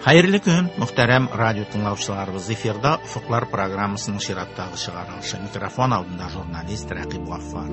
Хәерле көн, мөхтәрәм радио тыңлаучыларыбыз. Эфирда Офыклар программасының чираттагы чыгарылышы. Микрофон алдында журналист Рәкыйп Гаффар.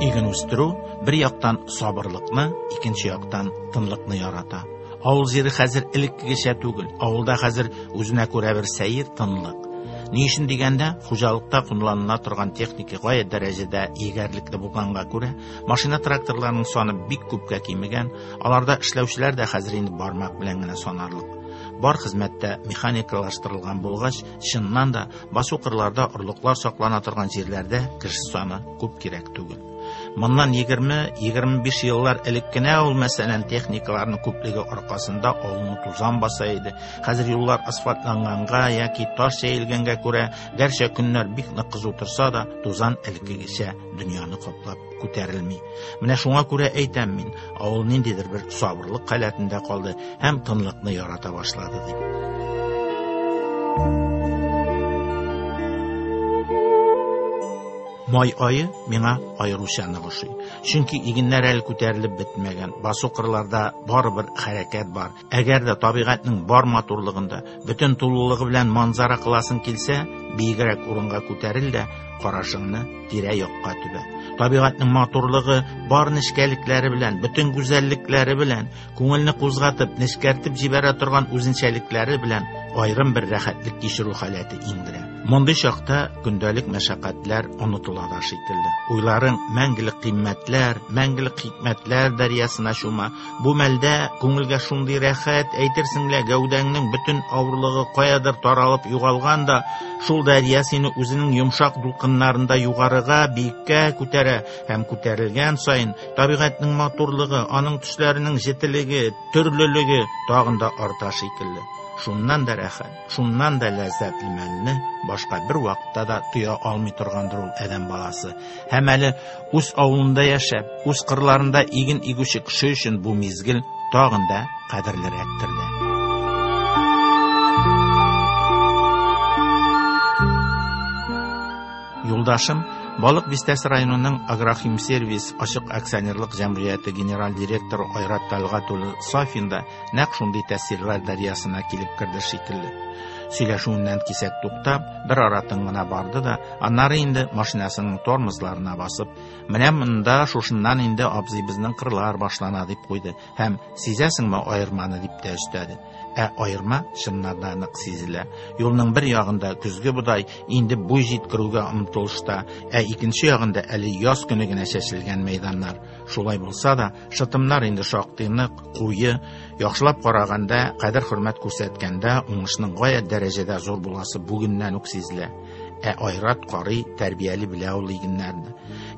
Иген үстерү бер яктан сабырлыкны, икенче яктан тынлыкны ярата. Авыл җире хәзер элеккегечә түгел. Авылда хәзер үзенә күрә бер сәер тынлык. Ни өчен дигәндә, хуҗалыкта кулланыла торган техника гаять дәрәҗәдә егәрлекле булганга күрә, машина-тракторларның саны бик күпкә кимегән, аларда эшләүчеләр дә хәзер инде бармак белән генә санарлык. Бар хезмәттә механикалаштырылган булгач, чыннан да басу-кырларда орлыклар саклана торган җирләрдә кеше саны күп кирәк түгел. Моннан 20-25 еллар элек кенә ул, мәсәлән, техникаларның күплеге аркасында авылны тузан баса иде. Хәзер юллар асфальтланганга яки таш җәелгәнгә күрә, гәрчә көннәр бик нык кызу торса да, тузан элеккегечә дөньяны каплап күтәрелми. Менә шуңа күрә әйтәм мин, авыл ниндидер бер сабырлык халәтендә калды һәм тынлыкны ярата башлады дип. Май ае миңа аеруча нык ошый. Чөнки игеннәр әле күтәрелеп бетмәгән, басу кырларда барыбер хәрәкәт бар. Әгәр дә табигатьнең бар матурлыгында, бөтен тулылыгы белән манзара кыласың килсә, биегрәк урынга күтәрел дә, карашыңны тирә-якка төбә. Табигатьнең матурлыгы бар нечкәлекләре белән, бөтен гүзәллекләре белән, күңелне кузгатып, нечкәртеп җибәрә торган үзенчәлекләре белән аерым бер рәхәтлек кичерү халәте иңдерә. Мондый чакта көндәлек мәшәкатьләр онытыла да шикелле. Уйларың мәңгелек кыйммәтләр, мәңгелек хикмәтләр дәрьясына чума. Бу мәлдә күңелгә шундый рәхәт, әйтерсең лә гәүдәңнең бөтен авырлыгы каядыр таралып югалган да, шул дәрья сине үзенең йомшак дулкыннарында югарыга, биеккә күтәрә һәм күтәрелгән саен табигатьнең матурлыгы, аның төсләренең җетелеге, төрлелеге тагын да арта шикелле. Шуннан да рәхәт, шуннан да ләззәтле мәлне башка бер вакытта да тоя алмый торгандыр ул адәм баласы. Һәм әле үз авылында яшәп, үз кырларында иген игүче кеше өчен бу мизгел тагын да кадерлерәктер дә. Юлдашым Балык Бистәсе районының Агрохимсервис ачык акционерлык җәмгыяте генераль директоры Айрат Талгат улы Сафин да нәкъ шундый тәэсирләр дәрьясына килеп керде шикелле. Сөйләшүеннән кисәк туктап, бер ара тын гына барды да, аннары инде машинасының тормозларына басып, менә монда шушыннан инде абзый безнең кырлар башлана дип куйды һәм сизәсеңме аерманы дип тә өстәде. Ә аерма чыннан да нык сизелә. Юлның бер ягында көзге бодай инде буй җиткерүгә омтылышта, ә икенче ягында әле яз көне генә чәчелгән мәйданнар. Шулай булса да, шытымнар инде шактый нык, куе, яхшылап караганда, кадер-хөрмәт күрсәткәндә уңышның гаять дәрәҗәдә зур буласы бүгеннән үк сизелә. Ә Айрат карый тәрбияли белә ул игеннәрне.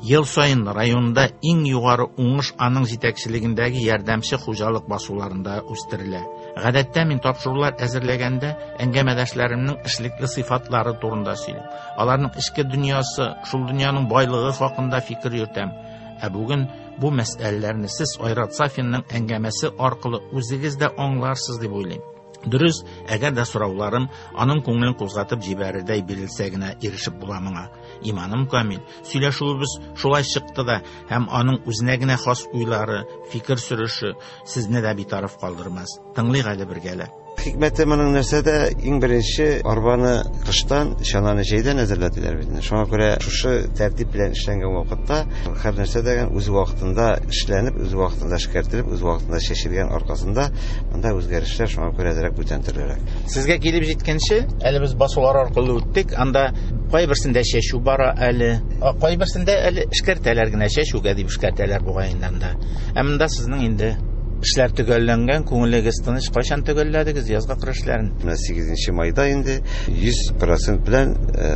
Ел саен районда иң югары уңыш аның җитәкчелегендәге ярдәмче хуҗалык басуларында үстерелә. Гадәттә мин тапшырулар әзерләгәндә әңгәмәдәшләремнең эшлекле сыйфатлары турында сөйлим. Аларның эчке дөньясы, шул дөньяның байлыгы хакында фикер йөртәм. Ә бүген бу мәсьәләләрне сез Айрат Сафинның әңгәмәсе аркылы үзегез дә аңларсыз дип уйлыйм. Дөрес, әгәр дә сорауларым аның күңелен кузгатып җибәрердәй бирелсә генә ирешеп була моңа. Иманым камил, сөйләшүебез шулай чыкты да, һәм аның үзенә генә хас уйлары, фикер сөреше сезне дә битараф калдырмас. Тыңлыйк әле бергәләп. Хикмәте моның нәрсәдә? Иң беренче арбаны кыштан, чананы җәйдән әзерләделәр бит. Шуңа күрә шушы тәртип белән эшләнгән вакытта һәр нәрсә дә үз вакытында эшләнеп, үз вакытында эшкәртелеп, үз вакытында чәчелгән аркасында монда үзгәрешләр шуңа күрә әзрәк бүтән төрлерәк. Сезгә килеп җиткәнче, әле без басулар аркылы үттек. Анда кайберсендә чәчү бара әле, кайберсендә әле эшкәртәләр генә, чәчүгә дип эшкәртәләр бугай инде анда. Ә монда сезнең инде эшләр төгәлләнгән, күңелегез тыныч. Кайчан төгәлләдегез язгы кыр эшләрен? Менә 8 майда инде 100% белән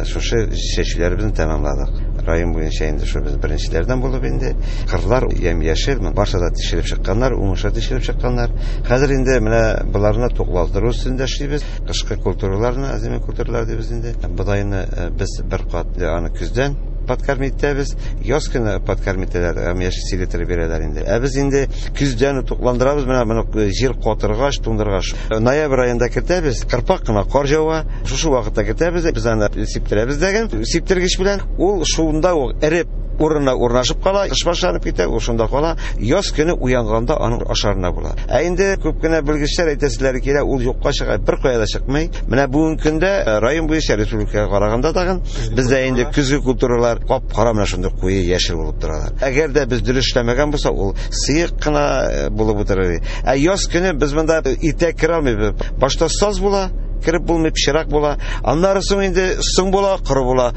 шушы чәчүләребезне тәмамладык. Район буенча инде шу без беренчеләрдән булып инде кырлар ямь-яшел, барсы да тишелеп чыкканнар, уңышлы тишелеп чыкканнар. Хәзер инде менә боларны тукландыру өстендә эшлибез. Кышкы культураларны, озимый культуралар дибез инде. Бодайны без бер кат аны көздән подкормить итәбез. Яз көне подкормить итәләр, яшел селитра бирәләр инде. Ә без инде көздән тукландырабыз, менә моны җир катыргач, туңдыргач. Ноябрь аенда кертәбез, кырпак кына кар җава. Шушы вакытта кертәбез, без аны сиптерәбез дәген, сиптергеч белән. Ул шунда ук эреп Урынына урнашып кала, кыш башланып китә, ул шунда кала. Яз көне уянганда аның ашарына була. Ә инде күп кенә белгечләр әйтәселәре килә, ул юкка чыга, бер кая да чыкмый. Менә бүгенге көндә район буенча республикага караганда тагын бездә инде көзге культуралар кап-кара, менә шундый куе яшел булып торалар. Әгәр дә без дөрес эшләмәгән булса, ул сыек кына булып утырыр. Ә яз көне без монда иртә керә алмыйбыз. Башта саз була, кереп булмый, пычрак була. Аннары соң инде соң була, коры була.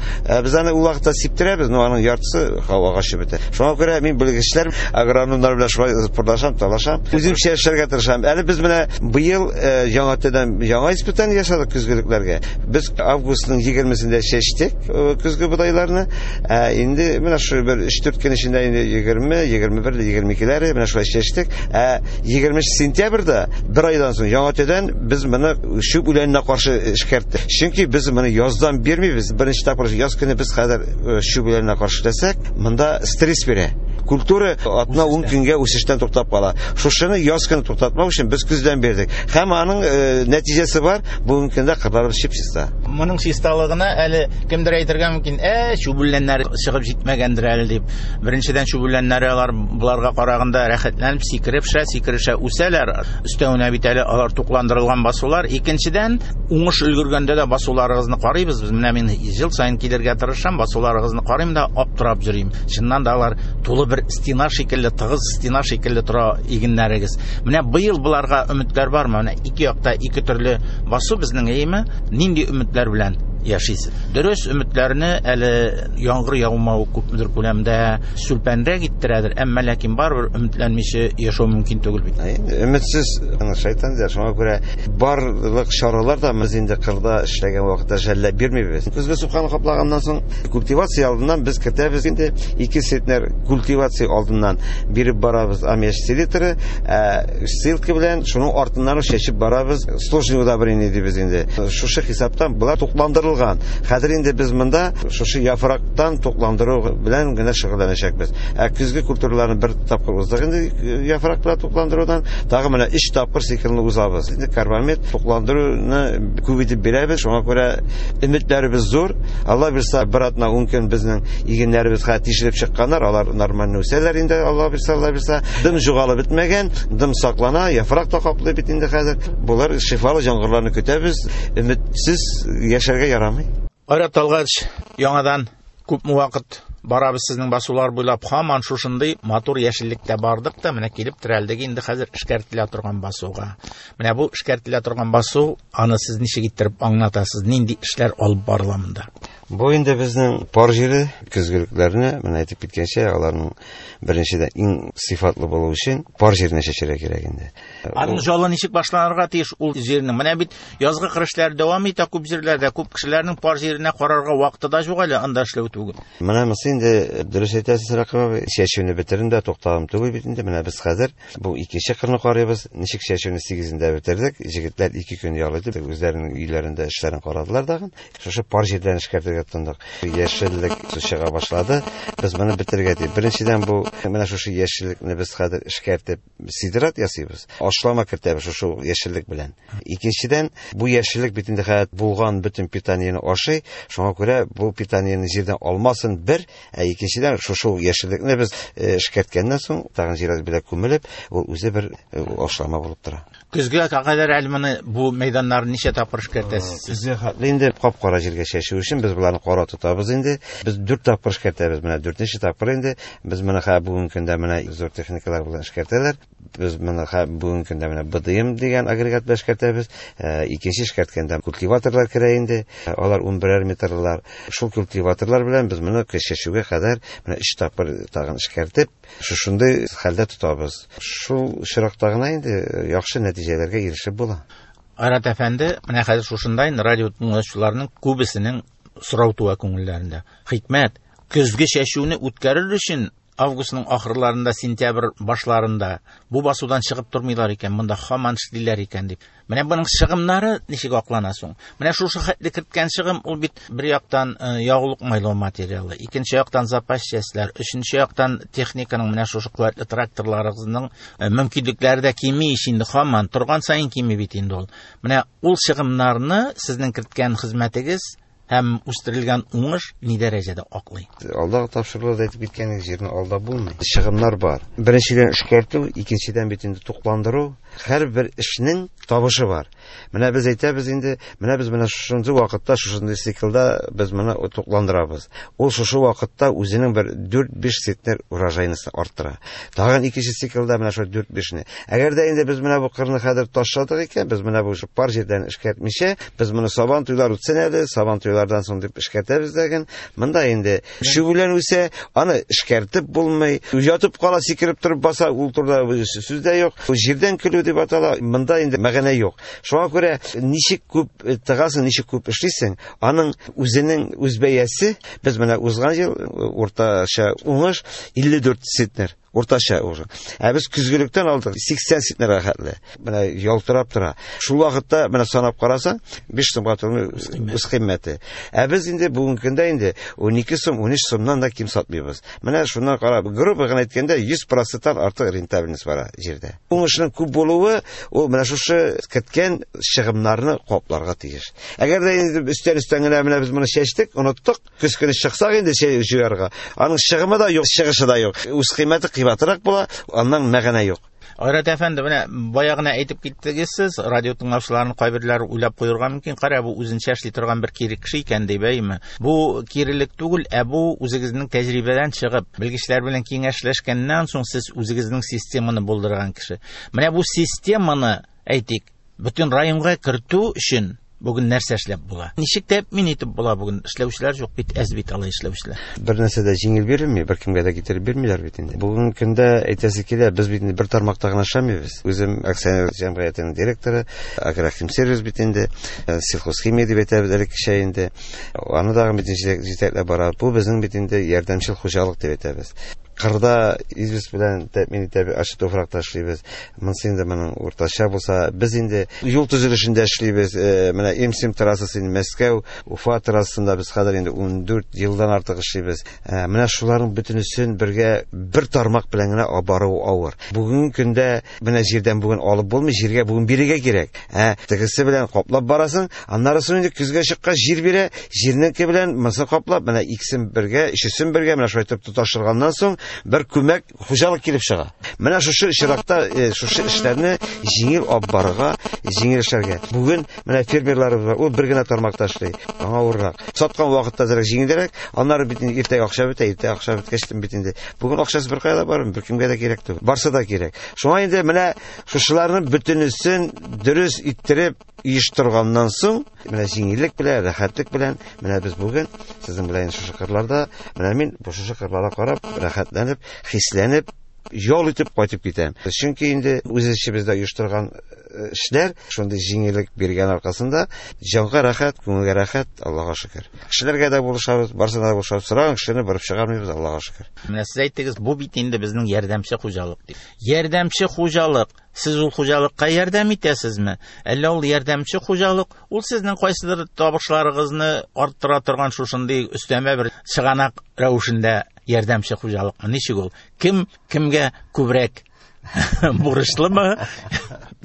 Без аны ул вакытта сиптерәбез, но аның яртысы һавага очып бетә. Шуңа күрә мин белгечләр, агрономнар белән шулай пырлашам, талашам. Үземчә эшләргә тырышам. Әле без менә быел яңа төдән яңа испытание ясадык көзгелекләргә. Без августның 20-сендә чәчтек көзге бодайларны. Ә инде менә шу бер 3-4 көн эчендә инде 20, 21, 22-ләре менә шулай чәчтек. Ә 20 сентябрьдә бер айдан соң яңа төдән без моны чүп үләненә каршы эшкәрттек. Чөнки без моны яздан бирмибез. Беренче тапкыр яз көне без хәзер чүп үләненә каршы эшләсәк, монда стресс бирә. Культура атна 10 көнгә үсештән туктап кала. Шушыны яз көне туктатмау өчен без көздән бирдек. Һәм аның нәтиҗәсе бар. Бүгенге көндә кырларыбыз чип-чиста. Моның чисталыгына әле кемдер әйтергә мөмкин, чүп үләннәре чыгып җитмәгәндер әле дип. Беренчедән, чүп үләннәре алар боларга караганда рәхәтләнеп сикереп-шә, сикерешә үсәләр. Өстәвенә бит әле алар тукландырылган басулар. Икенчедән, уңыш өлгергәндә дә басуларыгызны карыйбыз. Без менә мин ел саен килергә тырышам, басуларыгызны карыйм да аптырап йөрим. Чыннан да алар тулы бер стена шикелле, тыгыз стена шикелле тора игеннәрегез. Менә быел боларга өметләр бармы? Менә ике якта ике төрле басу безнең, әйеме? Нинди өметләр белән яшисез? Дөрес, өметләрне әле яңгыр яумау күпмедер күләмдә сүлпәнрәк иттерәдер, әмма ләкин барыбер өметләнмичә яшәү мөмкин түгел бит. Әйе, өметсез шайтан диләр. Шуңа күрә барлык чаралар да без инде кырда эшләгән вакытта жәлләп бирмибез. Көзге суканы каплаганнан соң культивация алдыннан без кертәбез инде 2 центнер культивация алдыннан биреп барабыз аммиач селитры, ә ссылка белән шуның артыннан ук чәчеп барабыз. Сложный удобрение дибез инде. Шушы хисаптан булар тукландырылган. Хәзер инде без монда шушы яфрактан тукландыру белән генә шөгыльләнәчәкбез. Ә көзге культураларны бер тапкыр уздык инде яфрак белән тукландырудан, тагы менә 3 тапкыр циклны узабыз. Инде карбамид тукландыруны күп итеп бирәбез. Шуңа күрә өметләребез зур. Алла бирсә, бер атна 10 көн безнең игеннәребез хәзер тишелеп чыкканнар, алар нормально үсәләр инде, Алла бирсә, Алла бирсә. Дым югалып бетмәгән, дым саклана, яфрак та каплый бит инде хәзер. Булар шифалы яңгырларны көтәбез. Өметсез яшәргә ярамый. Айрат Талгач, яңадан күпме вакыт барабыз сезнең басулар буйлап, һаман шушындый матур яшеллектә бардык та, менә килеп терәлдек инде хәзер эшкәртелә торган басуга. Менә бу эшкәртелә торган басу, аны сез ничек иттереп аңлатасыз, нинди эшләр алып барыла монда? Бу инде безнең пар җире, көзгелекләрне, менә әйтеп киткәнчә, аларның беренчедән иң сыйфатлы булу өчен пар җиренә чәчәргә кирәк инде. Аның җалы ничек башланырга тиеш ул җирнең? Менә бит язгы кыр эшләре дәвам итә күп җирләрдә, күп кешеләрнең пар җиренә карарга вакыты да юк әле, анда эшләү түгел. Менә монысы инде дөрес әйтәсез, Рәкыйп абый, чәчүне бетердем дә туктагым түгел бит инде. Менә без хәзер бу икенче кырны карыйбыз. Ничек чәчүне 8-ендә бетердек. Җегетләр 2 көн ял итеп, үзләренең өйләрендә эшләрен карадылар тагын. Шушы пар җирдән эшкәртергә тотындык. Яшеллек чыга башлады. Без моны бетерергә тиеш. Беренчедән бу менә шушы яшеллекне без хәзер эшкәртеп сидрат ясыйбыз. Ашлама кертәбез шушы яшеллек белән. Икенчедән, бу яшеллек бит инде хәзер булган бөтен питаниене ашый. Шуңа күрә бу питаниене җирдән алмасын бер, ә икенчедән шушы яшеллекне без эшкәрткәннән соң тагын җир белән күмелеп, ул үзе бер ашлама булып тора. Көзгә кадәр әле моны бу мәйданнарны ничә тапкыр эшкәртәсез? Көзгә хәтле инде кап-кара җиргә чәчү өчен без боларны кара тотабыз инде. Без 4 тапкыр эшкәртәбез, менә 4нче тапкыр инде. Без моны хәзер бүгенге көндә менә зур техникалар белән эшкәртәләр. Без моны хәзер бүгенге көндә менә БДМ дигән агрегат белән эшкәртәбез. Икенче эшкәрткәндә культиваторлар керә инде. Алар унберәр метрлар. Шул культиваторлар белән без моны чәчүгә кадәр менә 3 тапкыр тагын эшкәртеп, шушындый хәлдә тотабыз. Шул очракта гына инде яхшы нәтиҗәләргә ирешеп була. Айрат әфәнде, менә хәзер шушындай радио тыңлаучыларның күбесенең сорау туа күңелләрендә. Хикмәт, көзге чәчүне үткәрер өчен августның ахырларында, сентябрь башларында бу басудан чыгып тормыйлар икән, монда һаман эшлиләр икән дип. Менә буның чыгымнары ничек аклана соң? Менә шушы хәтле керткән чыгым, ул бит бер яктан ягулык майлау материалы, икенче яктан запас частьләр, өченче яктан техниканың менә шушы куәтле тракторларыгызның мөмкинлекләре дә кими ич инде, һаман торган саен кими бит инде ул. Менә ул чыгымнарны сезнең керткән хезмәтегез һәм үстерелгән уңыш ни дәрәҗәдә аклый? Алдагы тапшыруларда әйтеп киткән җирне алда булмый. Чыгымнар бар. Беренчедән эшкәртү, икенчедән бит инде тукландыру. Һәрбер эшнең табышы бар. Менә без әйтәбез инде, менә без менә шушындый вакытта, шушындый циклда без моны тукландырабыз. Ул шушы вакытта үзенең бер 4-5 центнер урожайнысын арттыра. Тагын икенче циклда менә шул 4-5-не. Әгәр дә инде без менә бу кырны хәзер ташладык икән, без менә бу пар җирдән эшкәртмичә, без моны сабан туйлар үтсен әле, сабан туйлардан соң дип эшкәртәбез дәген. Монда инде шүгелән үсә, аны эшкәртеп булмый, ятып кала, сикереп торып баса, ул турыда сүз дә юк. Җирдән көлү дип атала, монда инде мәгънә юк. Шуңа күрә ничек күп тыгасың, ничек күп эшлисең, аның үзенең үз бәясе. Без менә узган ел уртача уңыш 54 центнер. Уртача уже. Ә без көзгелектән алдык 80 центнерга хәтле. Менә ялтырап тора. Шул вакытта менә санап карасаң, 5 сумга тормый үз кыйммәте. Ә без инде бүгенге көндә инде 12 сум, 13 сумнан да ким сатмыйбыз. Менә шуннан карап, грубо гына әйткәндә, 100%-тан артык рентабельность бара җирдә. Уңышның күп булуы ул менә шушы керткән чыгымнарны капларга тиеш. Әгәр дә инде өстән-өстән генә менә без моны чәчтек, оныттык, көз көне чыксак инде җыярга, аның чыгымы да юк, чыгышы да юк. Үз кыйммәте кыйбатрак була, аннан мәгънә юк. Айрат әфәнде, менә бая гына әйтеп киттегез сез, радио тыңлаучыларның кайберләре уйлап куярга мөмкин, кара, бу үзенчә эшли торган бер кире кеше икән дип, әйме? Бу кирелек түгел, ә бу үзегезнең тәҗрибәдән чыгып, белгечләр белән киңәшләшкәннән соң сез үзегезнең системаны булдырган кеше. Менә бу системаны, әйтик, бөтен районга кертү өчен бүген нәрсә эшләп була? Ничек тәэмин итеп була бүген? Эшләүчеләр юк бит, әз бит алай эшләүчеләр. Бер нәрсә дә җиңел бирелми, бер кемгә дә китереп бирмиләр бит инде. Бүгенге көндә әйтәсе килә, без бит инде бер тармакта гына эшләмибез. Үзем акционер җәмгыятенең директоры, Агрохимсервис бит инде, сельхозхимия дип әйтәбез элеккечә инде. Аны да бит җитәкләп бара. Бу безнең бит инде ярдәмчел хуҗалык дип әйтәбез. Кырда известь белән тәэмин итәбез, ачы туфракта эшлибез. Монысы инде моның уртача булса, без инде юл төзелешендә эшлибез. Менә М7 трассасы инде Мәскәү, Уфа трассасында без хәзер инде 14 елдан артык эшлибез. Менә шуларның бөтенесен бергә бер тармак белән генә бару авыр. Бүгенге көндә менә җирдән бүген алып булмый, җиргә бүген бирергә кирәк. Тегесе белән каплап барасың, аннары соң инде көзгә чыккач җир бирә, җирнеке белән монысы каплап, менә икесен бергә, өчесен бергә менә шулай итеп тоташтырганнан соң бер күмәк хуҗалык килеп чыга. Менә шушы очракта шушы эшләрне җиңел алып барырга, җиңел эшләргә. Бүген менә фермерларыбыз бар, ул бер генә тармакта эшли, аңа авыррак. Саткан вакытта әзрәк җиңелрәк, аннары бит инде иртәгә акча бетә, иртәгә акча беткәч бит инде. Бүген акчасы бер кая да бармый, беркемгә дә кирәк түгел. Барсы да кирәк. Шуңа инде менә шушыларның бөтенесен дөрес иттереп оештырганнан соң, менә җиңеллек белән, рәхәтлек белән, менә без бүген сезнең белән шушы кырларда, менә мин бу шушы кырларга карап, рәхәтләнеп, хисләнеп, ял итеп кайтып китәм. Чөнки инде үз эшебездә оештырган эшләр шундый җиңеллек биргән аркасында җанга рәхәт, күңелгә рәхәт, Аллага шөкер. Кешеләргә дә булышабыз, барсына да булышабыз. Сораган кешене барып чыгармыйбыз, Аллага шөкер. Менә сез әйттегез, бу бит инде безнең ярдәмче хуҗалык дип. Ярдәмче хуҗалык, сез ул хуҗалыкка ярдәм итәсезме? Әллә ул ярдәмче хуҗалык, ул сезнең кайсыдыр табышларыгызны арттыра торган шушындый өстәмә бер чыганак рәвешендә ярдәмче хуҗалыкмы? Ничек ул? Кем кемгә күбрәк бурычлымы?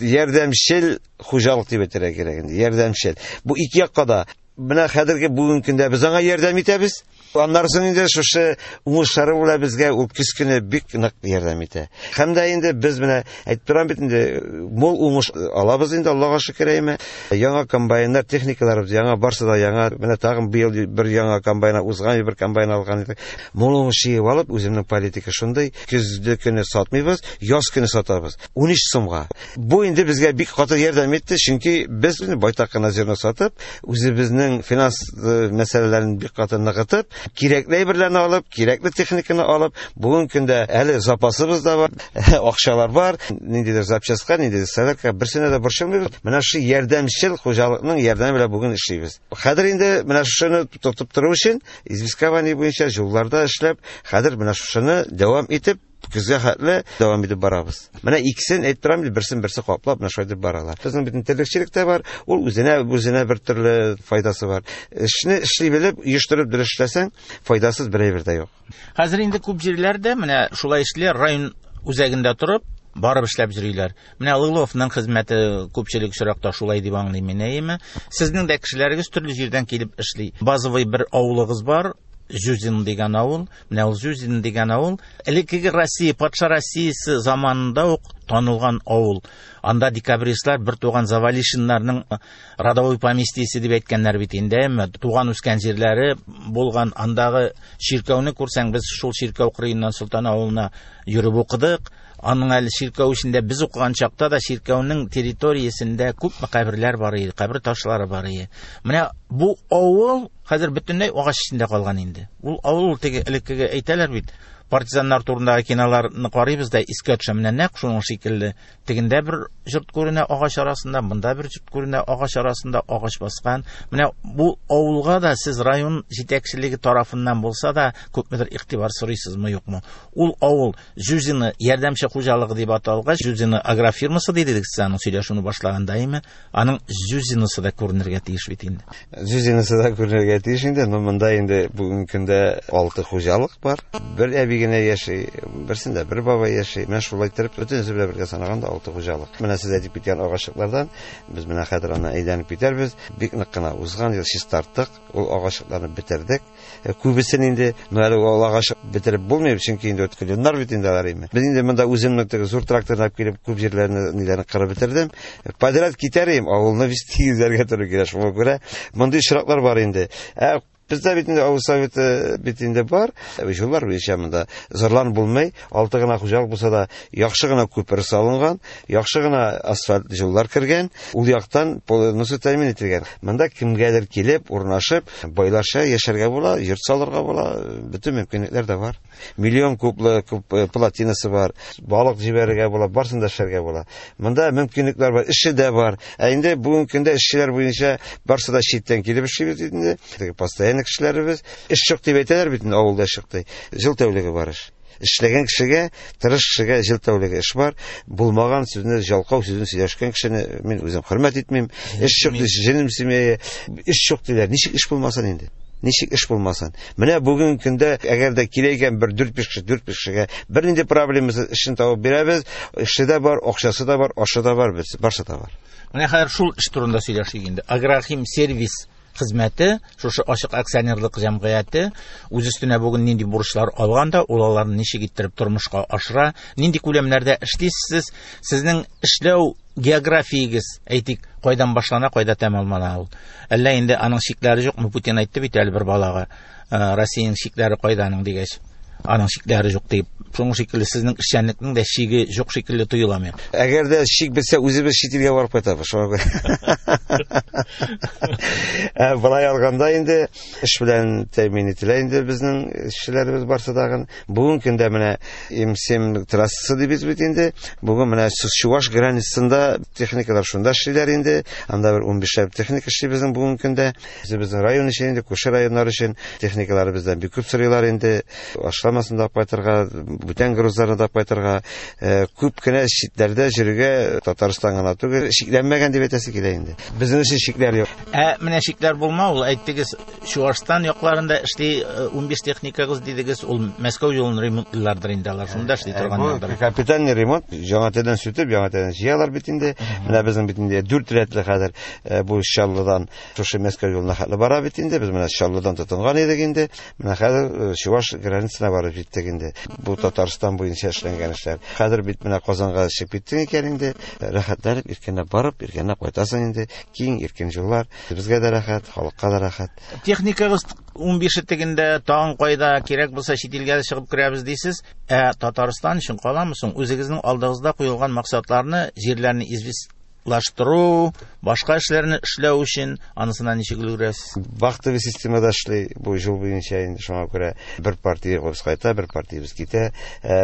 Ярдәмчел хуҗалык дип әйтергә кирәк инде. Ярдәмчел. Бу ике якка да. Менә хәзерге бүгенге көндә без аңа ярдәм итәбез. Аннары соң инде шушы уңышлары белән безгә ул көз көне бик нык ярдәм итә. Һәм дә инде без менә әйтеп торам бит инде, мул уңыш алабыз инде, Аллага шөкер әйме. Яңа комбайннар, техникаларыбыз яңа, барсы да яңа. Менә тагын быел бер яңа комбайн, узган ел бер комбайн алган идек. Мул уңыш җыеп алып, үземнең политика шундый, көзге көне сатмыйбыз, яз көне сатабыз. 13 сумга. Бу инде безгә бик каты ярдәм итте, чөнки без инде байтак кына зерно сатып, үзебезнең финанс мәсьәләләрен бик каты ныгытып, кирәкле әйберләрне алып, кирәкле техниканы алып, бүгенге көндә әле запасыбыз да бар, акчалар бар, ниндидер запчастька, ниндидер солярка, берсенә дә борчылмыйбыз. Менә шушы ярдәмчел хуҗалыкның ярдәме белән бүген эшлибез. Хәзер инде менә шушыны тотып тору өчен известкование буенча юлларда эшләп, хәзер менә шушыны дәвам итеп, көзгә хәтле дәвам итеп барабыз. Менә икесен әйтеп торам, берсен берсе каплап, менә шулай итеп баралар. Безнең бит терлекчелек тә бар, ул үзенә бер төрле файдасы бар. Эшне эшли белеп, оештырып дөрес эшләсәң, файдасыз бер әйбер дә юк. Хәзер инде күп җирләрдә менә шулай эшлиләр, район үзәгендә торып, Барып эшләп йөриләр. Менә Лыловның хезмәте күпчелек очракта шулай дип аңлыйм мин, әйеме? Сезнең дә кешеләрегез төрле җирдән килеп эшли. Базовый бер авылыгыз бар, Зюзин дигән авыл. Менә ул Зюзин дигән авыл элеккеге Россия, патша Россиясе заманында ук танылган авыл. Анда декабристлар бер туган Завалишиннарның родовой поместьесе дип әйткәннәр бит инде, әмма туган үскән җирләре булган. Андагы чиркәүне күрсәң, без шул чиркәү кырыеннан Солтан авылына йөреп укыдык. Аның әле чиркәү эчендә без укыган чакта да чиркәүнең территориясендә күпме каберләр бар иде, кабер ташлары бар иде. Менә бу авыл хәзер бөтенләй агач эчендә калган инде. Ул авыл ул теге элеккеге әйтәләр бит, партизаннар турындагы киноларны карыйбыз да искә төшә. Менә нәкъ шуның шикелле. Тегендә бер йорт күренә агач арасында, монда бер йорт күренә агач арасында, агач баскан. Менә бу авылга да сез район җитәкчелеге тарафыннан булса да күпмедер игътибар сорыйсызмы, юкмы? Ул авыл Зюзино ярдәмче хуҗалыгы дип аталгач, Зюзино агрофирмасы дидек сез аның сөйләшүне башлаганда, әйеме? Аның Зюзиносы да күренергә тиеш бит инде. Зюзиносы да күренергә тиеш инде, но монда инде бүгенге көндә 6 хуҗалык бар. Бер әби генә яши, берсендә бер бабай яши. Менә шулай итеп бөтенесе белән бергә санаганда 6 хуҗалык. Менә сез әйтеп киткән агачлыклардан без менә хәзер аны әйләнеп китәрбез. Бик нык кына узган ел чистарттык, ул агачлыкларны бетердек. Күбесен инде, но әле ул агач бетереп булмый, чөнки инде үткәннәр бит инде алар инде. Без инде монда үземнең теге зур тракторны алып килеп күп җирләрне ниләрне кырып бетердем. Подряд китәр идем, авылны без тигезләргә туры килә. Шуңа күрә мондый очраклар бар инде. Бездә бит инде авыл советы бит инде бар. Юллар буенча монда зарланып булмый. 6 гына хуҗалык булса да, яхшы гына күпер салынган, яхшы гына асфальт юллар кергән, ул яктан полностью тәэмин ителгән. Монда кемгәдер килеп, урнашып, байларча яшәргә була, йорт салырга була, бөтен мөмкинлекләр дә бар. Миллион кублы күп плотинасы бар, балык җибәрергә була, барысын да эшләргә була. Монда мөмкинлекләр бар, эше дә бар. Ә инде бүгенге көндә эшчеләр буенча барысы да читтән килеп эшлибез инде. Теге постоянный кешеләребез. Эш юк дип әйтәләр бит инде, авылда эш юк ди. Җыл тәүлеге бар эш. Эшләгән кешегә, тырыш кешегә җыл тәүлеге эш бар. Булмаган сүзне, жалкау сүзен сөйләшкән кешене мин үзем хөрмәт итмим. Эш юк ди, җенем семьяе. Эш юк диләр. Ничек эш булмасын инде? Ничек эш булмасын? Менә бүгенге көндә әгәр дә килә икән бер дүрт-биш кеше, дүрт-биш кешегә бернинди проблемасыз эшен табып бирәбез. Эше дә бар, акчасы да бар, ашы да бар, барсы да бар. Менә хәзер шул эш турында сөйләшик инде. Агрохим сервис хезмәте, шушы ачык акционерлык җәмгыяте үз өстенә бүген нинди бурычлар алган да, ул аларны ничек иттереп тормышка ашыра, нинди күләмнәрдә эшлисез, сезнең эшләү географиягез, әйтик, кайдан башлана, кайда тәмамлана ул? Әллә инде аның чикләре юкмы? Путин әйтте бит әле бер балага, Россиянең чикләре кайда аның дигәч, аның чикләре юк дип. Шуның шикелле сезнең эшчәнлекнең дә чиге юк шикелле тоела миңа. Әгәр дә чик бетсә, үзебез чит илгә барып кайтабыз. Шуңа күрә. Былай алганда инде эш белән тәэмин ителә инде безнең эшчеләребез барсы тагын. Бүгенге көндә менә М7 трассасы дибез бит инде. Бүген менә Чуваш границасында техникалар шунда эшлиләр инде. Анда бер унбишләп техника эшли безнең бүгенге көндә. Безнең район өчен инде, күрше районнар өчен техникалар бездән бик күп сорыйлар инде. Ашламасын да кайтырга, бүтән грузларны да кайтырга. Күп кенә читләрдә йөрергә Татарстан гына түгел, чикләнмәгән дип әйтәсе килә инде. Безнең өчен чикләр юк. Ә менә чикләр булмау, ул әйттегез, Чувашстан якларында эшли 15 техникагыз дидегез, ул Мәскәү юлын ремонтлыйлардыр инде алар, шунда эшли торганнардыр. Бу капитальный ремонт, яңа телдән сүтеп, яңа телдән җыялар бит инде. Менә безнең бит инде 4 рәтле хәзер бу Чаллыдан шушы Мәскәү юлына хәтле бара бит инде. Без менә Чаллыдан тотынган идек инде. Менә хәзер Чуваш границасына барып җиттек инде. Бу Татарстан буенча эшләнгән эшләр. Хәзер бит менә Казанга чыгып киттең икән инде, рәхәтләнеп иркенләп барып, иркенләп кайтасың инде. Киң иркен юллар. Безгә дә рәхәт, халыкка да рәхәт. Техникагыз 15 тегендә, тагын кайда кирәк булса чит илгә дә чыгып керәбез дисез. Ә Татарстан өчен каламы соң? Үзегезнең алдыгызда куелган максатларны, җирләрне известьлаштыру, башка эшләрне эшләү өчен анысына ничек өлгерәсез? Вахтовый системада эшли бу юл буенча инде, шуңа күрә бер партия без кайта, бер партия без китә.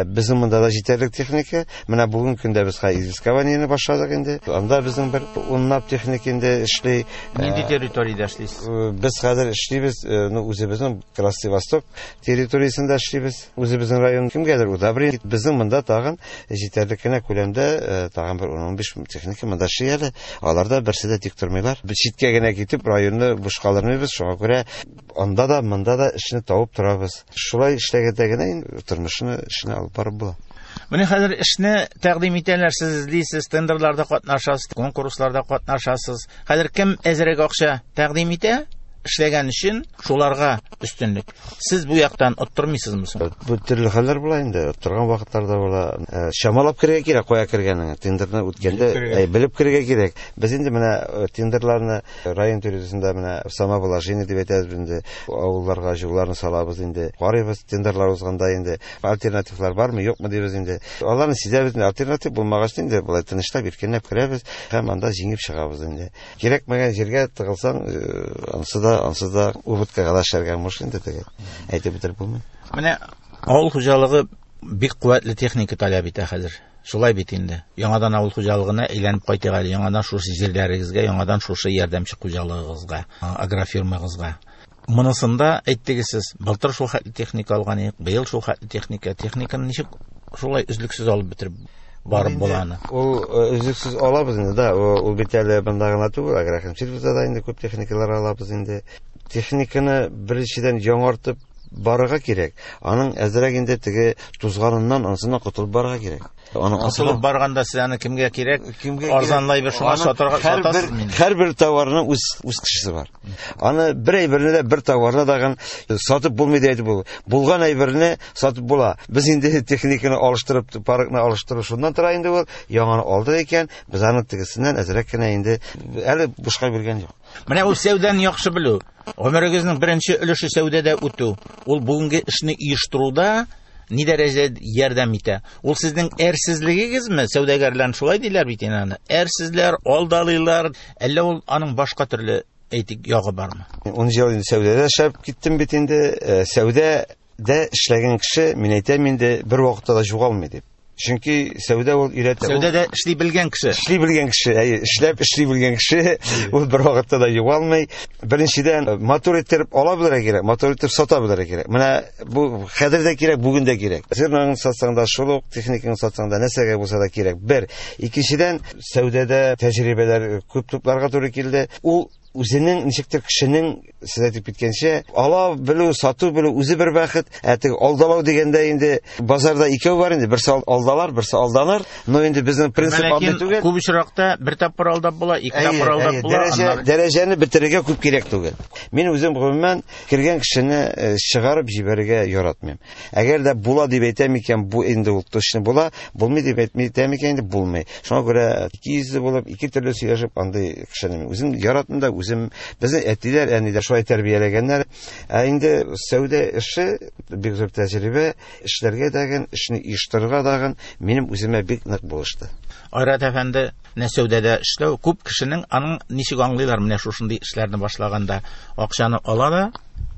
Безнең монда да җитәрлек техника. Менә бүгенге көндә без хәзер известкованиене башладык инде. Анда безнең бер унлап техника инде эшли. Нинди территориядә эшлисез? Без хәзер эшлибез, үзебезнең Красный Восток территориясендә эшлибез. Үзебезнең район кемгәдер удобрение. Безнең монда тагын җитәрлек кенә күләмдә тагын бер ун-унбиш техника монда эшли әле. Алар да берсе дә тик тормыйлар. Без читкә генә китеп районны буш калдырмыйбыз. Шуңа күрә анда да, монда да эшне табып торабыз. Шулай эшләгәндә генә инде тормышны, эшне алып барып була. Менә хәзер эшне тәкъдим итәләр, сез эзлисез, тендерларда катнашасыз, конкурсларда катнашасыз. Хәзер кем әзрәк акча тәкъдим итә, эшләгән өчен шуларга өстенлек. Сез бу яктан оттырмыйсызмы соң? Бу төрле хәлләр була инде. Оттырган вакытлар да була. Чамалап керергә кирәк, кая кергәнеңне. Тендерны үткәндә белеп керергә кирәк. Без инде менә тендерларны район территориясендә менә самовложение дип әйтәбез инде. Авылларга юлларны салабыз инде. Карыйбыз тендерлар узганда инде. Альтернативлар бармы, юкмы дибез инде. Аларны сизәбез инде. Альтернатив булмагач инде болай тынычлап, иркенләп керәбез һәм анда җиңеп чыгабыз инде. Кирәкмәгән җиргә тыгылсаң, ансыз да убыткага да эшләргә мөмкин инде теге. Әйтеп бетереп булмый. Менә авыл хуҗалыгы бик куәтле техника таләп итә хәзер. Шулай бит инде. Яңадан авыл хуҗалыгына әйләнеп кайтыйк әле, яңадан шушы җирләрегезгә, яңадан шушы ярдәмче хуҗалыгыгызга, агрофирмагызга. Монысында әйттегез сез, былтыр шул хәтле техника алган идек, быел шул хәтле техника. Техниканы ничек шулай өзлексез алып бетереп барып була аны? Ул өзлексез алабыз инде, да. Ул бит әле монда гына түгел, агрохимсервиста да инде күп техникалар алабыз инде. Техниканы беренчедән яңартып барырга кирәк. Аның әзрәк инде теге тузганыннан, ансыннан котылып барырга кирәк. Аның котылып барганда сез аны кемгә кирәк? Арзанлай бер шуңа сатарга сатасыз мени? Һәрбер товарның үз кешесе бар. Аны бер әйберне дә, бер товарны да сатып булмый дип әйтеп булмый. Булган әйберне сатып була. Без инде техниканы алыштырып, паркны алыштыру шуннан тора инде ул. Яңаны алдык икән, без аны тегесеннән әзрәк кенә инде әле бушка биргән юк. Менә ул сәүдәне яхшы белү. Гомерегезнең беренче өлеше сәүдәдә үтү. Ул бүгенге эшне оештыруда ни дәрәҗәдә ярдәм итә? Ул сезнең әрсезлегегезме? Сәүдәгәрләр шулай диләр бит инде аны. Әрсезләр, алдалыйлар. Әллә ул аның башка төрле әйтик ягы бармы? 10 ел инде сәүдәдә эшләп киттем бит инде. Сәүдәдә эшләгән кеше, мин әйтәм инде, бер вакытта да югалмый дип. Чөнки сәүдә ул өйрәтә. Сәүдәдә эшли белгән кеше. Эшли белгән кеше, әйе, эшләп эшли белгән кеше, ул бер вакытта да югалмый. Беренчедән, матур иттереп ала белергә кирәк, матур итеп сата белергә кирәк. Менә бу хәзер дә кирәк, бүген дә кирәк. Зерноны сатсаң да, шул ук техниканы сатсаң да, нәрсәгә булса да кирәк. Бер. Икенчедән, сәүдәдә тәҗрибәләр күп тупларга туры килде. Ул үзенең ничектер кешенең, сез әйтеп киткәнчә, ала белү, сату белү үзе бер бәхет. Ә теге алдалау дигәндә инде базарда икәү бар инде, берсе алдалар, берсе алданыр. Но инде безнең принцип андый түгел. Күп очракта бер тапкыр алдап була, ике тапкыр алдап була. Дәрәҗәне бетерергә күп кирәк түгел. Мин үзем гомумән кергән кешене чыгарып җибәрергә яратмыйм. Әгәр дә була дип әйтәм икән, бу инде ул точно була, булмый дип әйтәм икән, инде булмый. Шуңа күрә ике йөзле булып, ике төрле сөйләшеп андый кешене мин үзем яратмыйм да, үзем безнең әтиләр, әниләр шулай тәрбияләгәннәр. Ә инде сәүдә эше бик зур тәҗрибә, эшләргә дәген, эшне оештырырга дәген минем үземә бик нык булышты. Айрат әфәнде, менә сәүдәдә эшләү күп кешенең аның ничек аңлыйлар менә шушындый эшләрне башлаганда акчаны ала да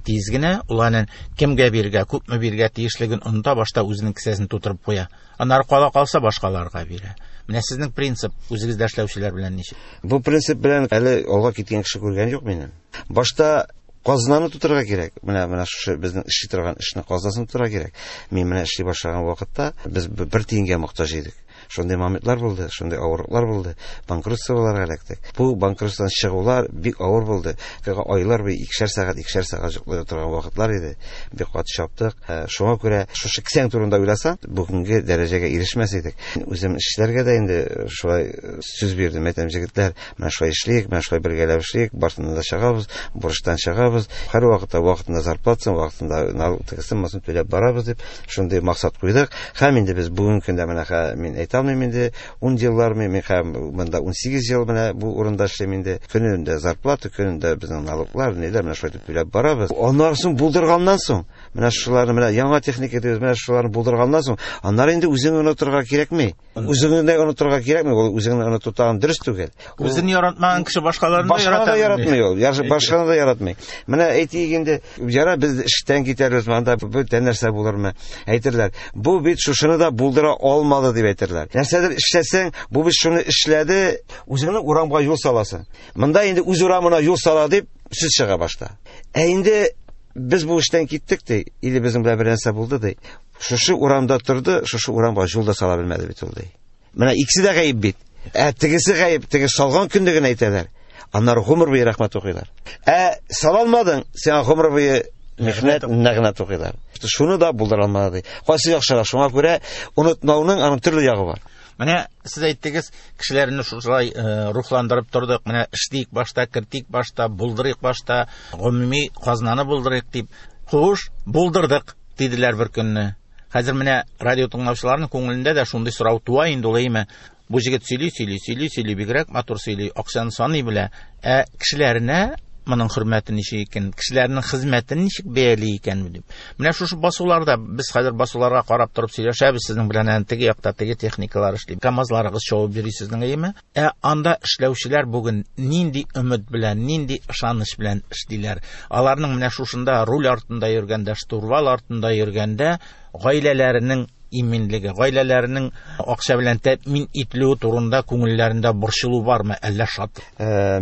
тиз генә ул аны кемгә бирергә, күпме бирергә тиешлеген оныта, башта үзенең кесәсен тутырып куя. Аннары кала калса башкаларга бирә. Менә сезнең принцип үзегездә эшләүчеләр белән ничек? Бу принцип белән әле алга киткән кеше күргән юк минем. Башта казнаны тутырырга кирәк. Менә шушы безнең эшли торган эшне казнасын тутырырга кирәк. Мин менә эшли башлаган вакытта без бер тиенгә мохтаҗ идек. Шундый моментлар булды, шундый авырлыклар булды. Банкротстволарга эләктек. Бу банкротстводан чыгулар бик авыр булды. Айлар буе икешәр сәгать, икешәр сәгать йоклый торган вакытлар иде. Бик каты чаптык. Шуңа күрә шушы кесәң турында уйласаң, бүгенге дәрәҗәгә ирешмәс идек. Үзем эшчеләргә дә инде шулай сүз бирдем. Әйтәм, җегетләр, менә шулай эшлик, менә шулай бергәләп эшлик, барсыннан да чыгабыз, бурычтан чыгабыз. Һәр вакытта вакытында зарплатасын, вакытында налог тегесен, монысын түләп барабыз дип шундый максат куйдык. Һәм инде без бүгенге көндә менә мин әйтә алмыйм инде, 10 еллар мин һәм монда 18 ел менә бу урында эшлим инде. Көнендә зарплата, көнендә безнең налоглар, ниләр менә шулай итеп түләп барабыз. Аннары соң булдырганнан соң, менә шуларны менә яңа техника дибез, менә шуларны булдырганнан соң, аннары инде үзеңне онытырга кирәкми. Үзеңне дә онытырга кирәкми, ул үзеңне оныту тагын дөрес түгел. Үзен яратмаган кеше башкаларны да яратмый ул. Башкаларны да яратмый. Менә әйтик инде, яра без эштән китәрбез, монда бүтән нәрсә булырмы? Әйтерләр, бу бит шушыны да булдыра алмады дип әйтерләр. Нәрсәдер эшләсәң, бу бит шуны эшләде, үзеңне урамга юл саласың. Монда инде үз урамына юл сала дип сүз чыга башта. Ә инде без бу эштән киттек ди, или безнең белән бер нәрсә булды ди. Шушы урамда торды, шушы урамга юл да сала белмәде бит ул ди. Менә икесе дә гаеп бит. Ә тегесе гаеп, теге салган көндә генә әйтәләр. Аннары гомер буе рәхмәт укыйлар. Ә сала алмадың, сиңа гомер буе михнәт, нәгънәт укыйлар. Шуны да булдыра алмады. Кайсы яхшырак? Шуңа күрә онытмауның аның төрле ягы бар. Менә сез әйттегез, кешеләрне шулай рухландырып тордык. Менә эшлик башта, кертик башта, булдырыйк башта, гомуми казнаны булдырыйк дип. Хуш, булдырдык диделәр бер көнне. Хәзер менә радио тыңлаучыларның күңелендә дә шундый сорау туа инде ул, әйме? Бу җегет сөйли, сөйли, сөйли, сөйли, бигрәк матур сөйли, акчаны саный белә. Ә кешеләренә моның хөрмәте ничек икән, кешеләрнең хезмәтен ничек бәяли икән дип. Менә шушы басуларда без хәзер басуларга карап торып сөйләшәбез сезнең белән, әнә теге якта теге техникалар эшли. КАМАЗларыгыз чабып йөри сезнең, әйеме? Ә анда эшләүчеләр бүген нинди өмет белән, нинди ышаныч белән эшлиләр? Аларның менә шушында руль артында йөргәндә, штурвал артында йөргәндә гаиләләренең иминлеге, гаиләләренең акча белән тәэмин ителүе турында күңелләрендә борчылу бармы, әллә шат?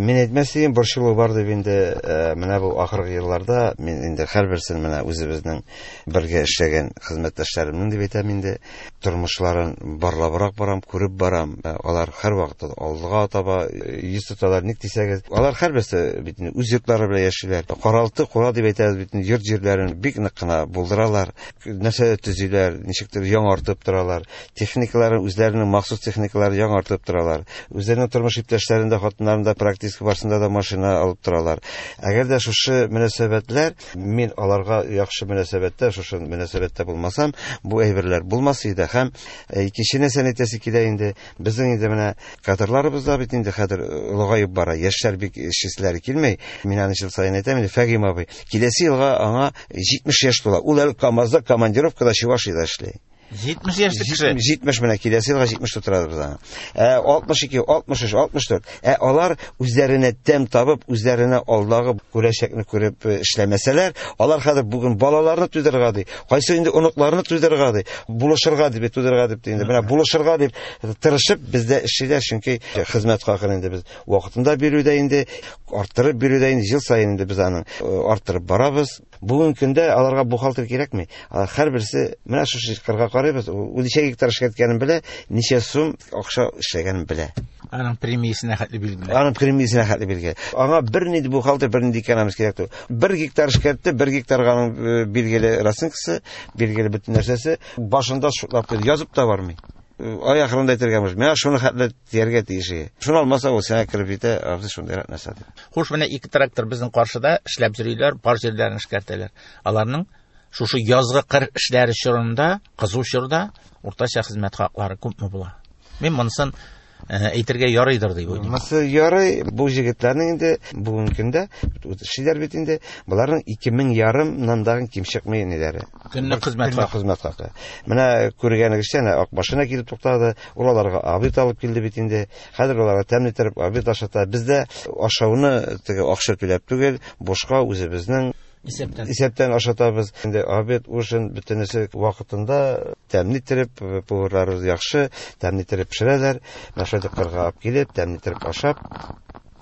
Мин әйтмәс идем, борчылу бар дип инде, менә бу ахыргы елларда мин инде һәрберсен менә үзебезнең бергә эшләгән хезмәттәшләремнең дип әйтәм инде, тормышларын барлабрак барам, күреп барам. Алар һәрвакытта алга таба йөз тоталар, ник дисәгез, алар һәрберсе бит инде үз йортлары белән яшиләр. Каралты, кура дип әйтәбез бит инде, йорт җирләрен бик нык кына булдыралар. Нәрсә төзиләр, ничектер яңартып торалар. Техникаларын, үзләренең махсус техникаларын яңартып торалар. Үзләренең тормыш иптәшләрен дә, хатыннарын да практически барсында да машина алып торалар. Әгәр дә шушы мөнәсәбәтләр, мин аларга яхшы мөнәсәбәттә, шушы мөнәсәбәттә булмасам, бу әйберләр булмас иде. Һәм икенче нәрсәне әйтәсе килә инде, безнең инде менә кадрларыбыз да бит инде хәзер олыгаеп бара. Яшьләр бик эшчеләре килмәй. Мин аны ел саен әйтәм инде, Фәгим абый, киләсе елга аңа 70 яшь тула. Ул әле КАМАЗда командировкада Чувашиядә эшли. 70 яшьлек кеше. 70 менә киләсе елга 70 тутырабыз аңа. 62, 63, 64. Алар үзләренә тәм табып, үзләренә алдагы күрәчәкне күреп эшләмәсәләр, алар хәзер бүген балаларны туйдырырга ди, кайсы инде оныкларны туйдырырга ди, булышырга дип, туйдырырга дип инде. Менә булышырга дип тырышып бездә эшлиләр, чөнки хезмәт хакын инде без вакытында бирүдә инде, арттырып бирүдә инде ел саен инде без аның арттырып барабыз. Бүгенге көндә аларга бухгалтер кирәкми. Алар һәрберсе менә шушы кырга карыйбыз, ул ничә гектар эшкәрткәнен белә, ничә сум акча эшләгәнен белә. Аның премиясенә хәтле билгеле. Аның премиясенә хәтле билгеле. Аңа бернинди бухгалтер, бернинди экономист кирәк түгел. 1 гектар эшкәртте, 1 гектарга аның билгеле расценкасы, билгеле бөтен нәрсәсе, башында шутлап куйды, язып та бармый. Ай ахырында әйтергә мөмкин. Менә шуны хәтле тияргә тиеш. Шуны алмаса, ул сиңа кереп җитә, абзый шундыйрак нәрсә дип. Хуш, менә ике трактор безнең каршыда эшләп йөриләр, пар җирләрен эшкәртәләр. Аларның шушы язгы кыр эшләре чорында, кызу чорда уртача хезмәт хаклары күпме була? Мин монысын әйтергә ярыйдыр дип уйлыйм. Монысы ярый, бу җегетләрнең инде бүгенге көндә эшлиләр бит инде, боларның ике мең ярымнан да ким чыкмый ниләре. Көнлек хезмәт Көнлек хакы. хезмәт хакы. Менә күргәнегезчә, әнә ак машина килеп туктады, ул аларга обед алып килде бит инде. Хәзер аларга тәмле итеп обед ашата. Бездә ашауны теге акча түләп түгел, бушка үзебезнең Исәптән. Исәптән ашатабыз. Инде обед, ужин бөтенесе вакытында тәмле итеп, поварларыбыз яхшы, тәмле итеп пешерәләр. Менә шулай итеп кырга алып килеп, тәмле итеп ашап,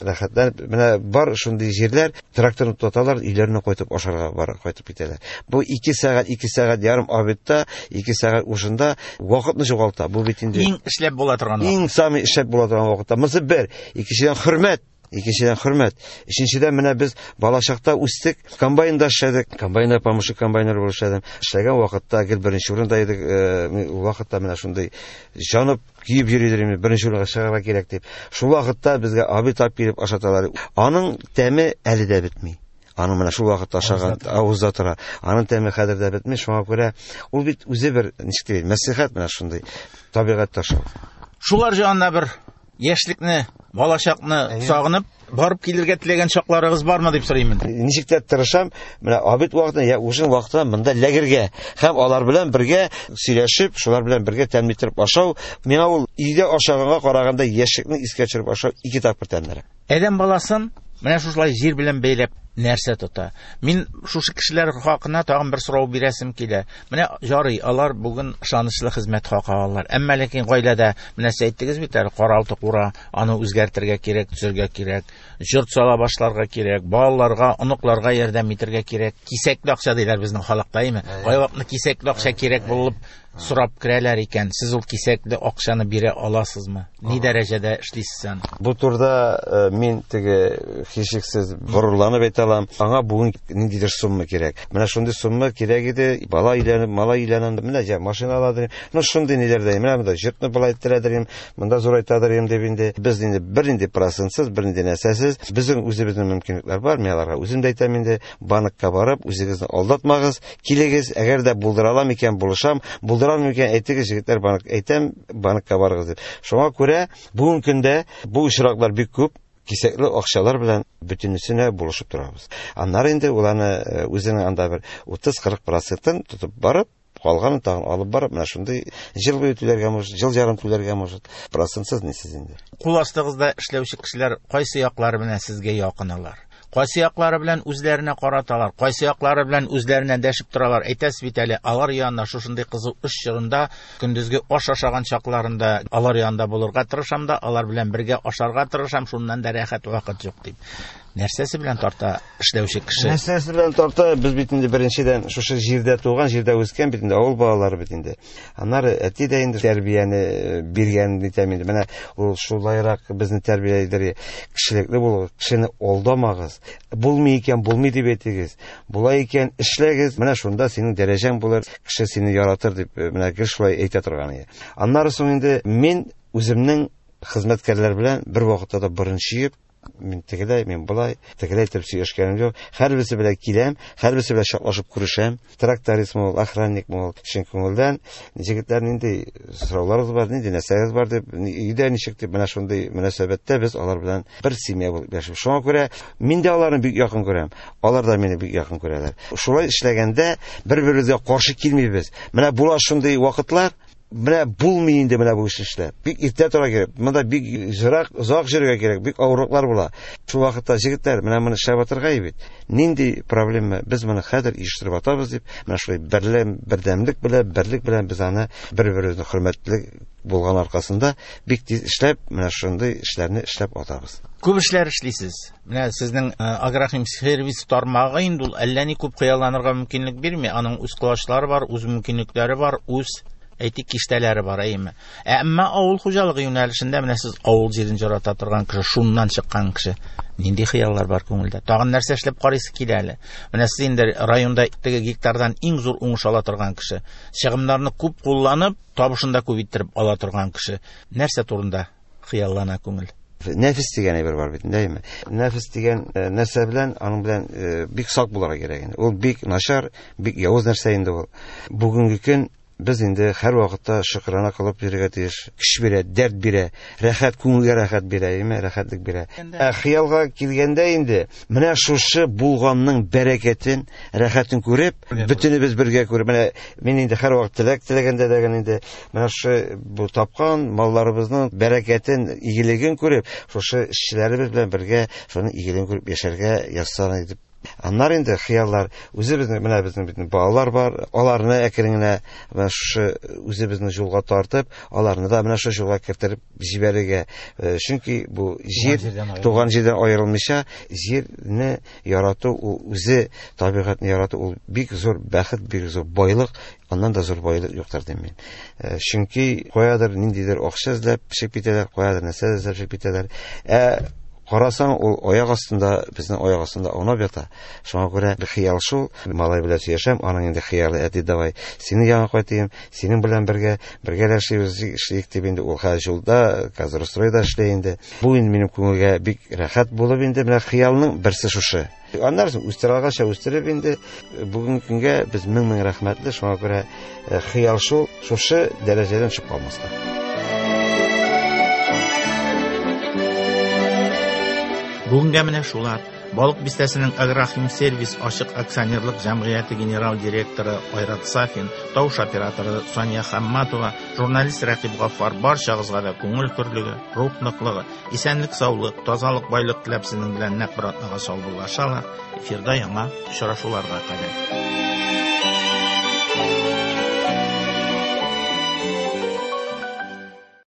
рәхәтләнеп, менә бар шундый җирләр, тракторны тоталар, өйләренә кайтып ашарга бар, кайтып китәләр. Бу 2 сәгать, 2 сәгать ярым обедта, 2 сәгать ужинда вакытны югалта. Бу бит инде иң эшләп була торган вакыт. Иң самый эшләп була торган вакытта. Монысы бер, икенчедән хөрмәт. Икенчедән хөрмәт. Өченчедән менә без балачакта үстек, комбайнда эшләдек, комбайнда помощник комбайнер булып эшләдем. Эшләгән вакытта гел беренче урында идек, мин ул вакытта менә шундый җанып киеп йөри идем, беренче урынга чыгарга кирәк дип. Шул вакытта безгә обед алып килеп ашаталар. Аның тәме әле дә бетми. Аның менә шул вакытта ашаган авызда тора. Аның тәме хәзер дә бетми. Шуңа күрә ул бит үзе бер ничек дим, мәслихәт менә шундый табигать ташы. Шулар җанына бер яшьлекне, балачакны сагынып, барып килергә теләгән чакларыгыз бармы дип сорыйм инде. Ничек тә тырышам, менә обед вакытында я ужин вакытында монда ләгергә һәм алар белән бергә сөйләшеп, шулар белән бергә тәмле итеп ашау, миңа ул өйдә ашаганга караганда яшьлекне искә төшереп ашау ике тапкыр тәмлерәк. Адәм баласын менә шушылай җир белән бәйләп нәрсә тота? Мин шушы кешеләр хакына тагын бер сорау бирәсем килә. Менә ярый, алар бүген ышанычлы хезмәт хакы алалар. Әмма ләкин гаиләдә менә сез әйттегез бит әле, каралты кура, аны үзгәртергә кирәк, төзергә кирәк, йорт сала башларга кирәк, балаларга, оныкларга ярдәм итәргә кирәк. Кисәкле акча диләр безнең халыкта, әйме? Кайвакытны кисәкле акча кирәк булып сорап керәләр икән, сез ул кисәкле акчаны бирә аласызмы? Ни дәрәҗәдә эшлисез аны? Бу турыда мин теге һичшиксез горурланып әйтә әйтә алам, аңа бүген ниндидер сумма кирәк. Менә шундый сумма кирәк иде, бала өйләнеп, малай өйләнеп, менә җә машина аладыр. Ну шундый ниләрдә, менә монда йортны болай иттерәдер, монда зурайтадыр дип инде. Без инде бернинди процентсыз, бернинди нәрсәсез, безнең үзебезнең мөмкинлекләр бар. Мин аларга үзем дә әйтәм инде, банкка барып, үзегезне алдатмагыз, килегез, әгәр дә булдыра алам икән, булышам, булдыра алмыйм икән, әйтегез, егетләр, банк әйтәм, банкка барыгыз дип. Шуңа күрә бүгенге көндә бу очраклар бик күп, кисәкле акчалар белән бөтенесенә булышып торабыз. Аннары инде ул аны үзенең анда бер 30-40 процентын тотып барып, калганын тагын алып барып, менә шундый җыл буе түләргә может, җыл ярым түләргә может, процентсыз нисез инде. Кул астыгызда эшләүче кешеләр кайсы яклары белән сезгә якын алар? Кайсы яклары белән үзләренә караталар, кайсы яклары белән үзләренә дәшеп торалар. Әйтәсез бит әле, алар янына шушындый кызу эш чорында, көндезге аш ашаган чакларында алар янында булырга тырышам да, алар белән бергә ашарга тырышам, шуннан да рәхәт вакыт юк дип. Нәрсәсе белән тарта эшләүче кеше? Нәрсәсе белән тарта? Без бит инде беренчедән шушы җирдә туган, җирдә үскән бит инде авыл балалары бит инде. Аннары әти дә инде тәрбияне биргән дитәм инде. Менә ул шулайрак безне тәрбияләдер. Кешелекле булыгыз, кешене алдамагыз. Булмый икән, булмый дип әйтегез. Була икән, эшләгез. Менә шунда синең дәрәҗәң булыр, кеше сине яратыр дип, менә гел шулай әйтә торган иде. Аннары соң инде мин үземнең хезмәткәрләр белән бер вакытта да борын чөеп, мин тегеләй, мин болай, тегеләй итеп сөйләшкәнем юк. Һәрберсе белән киләм, һәрберсе белән чаклашып күрешәм. Трактористмы ул, охранникмы ул, чын күңелдән җегетләр нинди сорауларыгыз бар, нинди нәрсәгез бар дип, өйдә ничек дип, менә шундый мөнәсәбәттә без алар белән бер семья булып яшибез. Шуңа күрә мин дә аларны бик якын күрәм, алар да мине бик якын күрәләр. Шулай эшләгәндә бер-беребезгә каршы килмибез. Менә була шундый вакытлар, менә булмый инде менә бу эшне эшләп. Бик иртә тора кирәк. Монда бик җырак, озак йөрергә кирәк, бик авырлыклар була. Шул вакытта җегетләр, менә моны эшләп атырга бит. Нинди проблема? Без моны хәзер оештырып атабыз дип, менә шулай берлем, бердәмлек белән, берлек белән без аны бер-беребезне хөрмәтле булган аркасында бик тиз эшләп, менә шундый эшләрне эшләп атабыз. Күп эшләр эшлисез. Менә сезнең агрохимсервис тармагы инде ул әллә ни күп хыялланырга мөмкинлек бирми. Аның үз колачлары бар, үз мөмкинлекләре бар, үз әйтик киштәләре бар, әйеме? Әмма авыл хуҗалыгы юнәлешендә менә сез авыл җирен ярата торган кеше, шуннан чыккан кеше. Нинди хыяллар бар күңелдә? Тагын нәрсә эшләп карыйсы килә әле? Менә сез инде районда теге гектардан иң зур уңыш ала торган кеше. Чыгымнарны күп кулланып, табышын да күп иттереп ала торган кеше. Нәрсә турында хыяллана күңел? Нәфис дигән әйбер бар бит, әйеме? Нәфис дигән нәрсә белән, аның белән бик сак булырга кирәк инде. Ул бик начар, бик явыз нәрсә инде ул. Бүгенге көн без инде һәр вакытта шөкрана кылып йөрергә тиеш. Көч бирә, дәрт бирә, рәхәт, күңелгә рәхәт бирә, әйеме? Рәхәтлек бирә. Ә хыялга килгәндә инде, менә шушы булганның бәрәкәтен, рәхәтен күреп, бөтенебез бергә күреп, менә мин инде һәр вакыт теләк теләгәндә дә инде, менә шушы бу тапкан малларыбызның бәрәкәтен, игелеген күреп, шушы эшчеләребез белән бергә шуның игелеген күреп яшәргә язсын дип. Аннары инде хыяллар, үзебезнең, менә безнең бит балалар бар, аларны әкрен генә менә шушы үзебезнең юлга тартып, аларны да менә шушы юлга кертереп җибәрергә. Чөнки бу җир, туган җирдән аерылмыйча, җирне ярату, ул үзе табигатьне ярату, ул бик зур бәхет, бик зур байлык, аннан да зур байлык юктыр дим мин. Чөнки каядыр ниндидер акча эзләп чыгып китәләр, каядыр нәрсә эзләп чыгып китәләр. Карасаң, ул аяк астында, безнең аяк астында аунап ята. Шуңа күрә бер хыял шул, малай белән сөйләшәм, аның инде хыялы, әти, давай, сине яңа кайтыйм, синең белән бергә, бергәләшибез, эшлик дип инде ул хәзер юлда, хәзер стройда эшли инде. Бу инде минем күңелгә бик рәхәт булып инде, менә хыялның берсе шушы. Аннары соң үстерә алганча үстереп инде, бүгенге көнгә без мең-мең рәхмәтле, шуңа күрә хыял шул, шушы дәрәҗәдән чыгып калмаска. Бүгенгә менә шулар. Балык бистәсенең Агрохимсервис ачык акционерлык җәмгыяте генерал директоры Айрат Сафин, тавыш операторы Сания Хамматова, журналист Рәкыйп Гаффар барчагызга да күңел көрлеге, рух ныклыгы, исәнлек, саулык, тазалык, байлык теләп сезнең белән нәкъ бер атнага саубуллашалар. Эфирда яңа очрашуларга кадәр.